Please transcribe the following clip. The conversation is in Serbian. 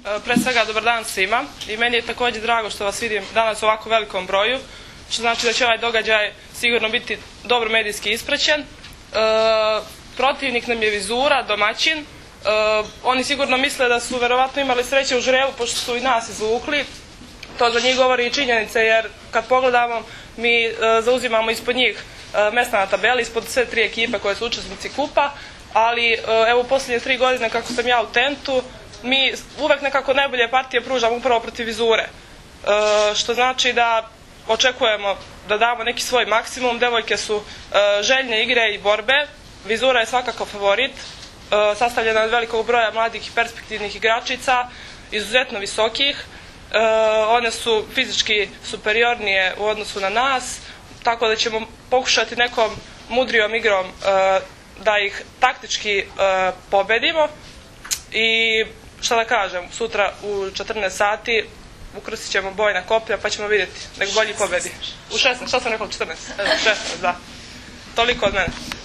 Pre svega, dobar dan svima i meni je također drago što vas vidim danas u ovako velikom broju, što znači da će ovaj događaj sigurno biti dobro medijski ispraćen. Protivnik nam je Vizura, domaćin. Oni sigurno misle da su verovatno imali sreće u žrebu pošto su i nas izvukli. To za njih govori i činjenice jer kad pogledamo mi zauzimamo ispod njih mesta na tabeli, ispod sve tri ekipe koje su učesnici kupa, ali evo u posljednje 3 godine kako sam ja u Tentu, mi uvek nekako najbolje partije pružamo upravo protiv Vizure, što znači da očekujemo da damo neki svoj maksimum. Devojke su željne igre i borbe. Vizura je svakako favorit, sastavljena od velikog broja mladih i perspektivnih igračica, izuzetno visokih. One su fizički superiornije u odnosu na nas, tako da ćemo pokušati nekom mudrijom igrom da ih taktički pobedimo. I šta da kažem, sutra u 14 sati ukrsit ćemo bojna koplja pa ćemo vidjeti, nek bolji pobedi. U 16, šta sam rekao, 14? 16, da. Toliko od mene.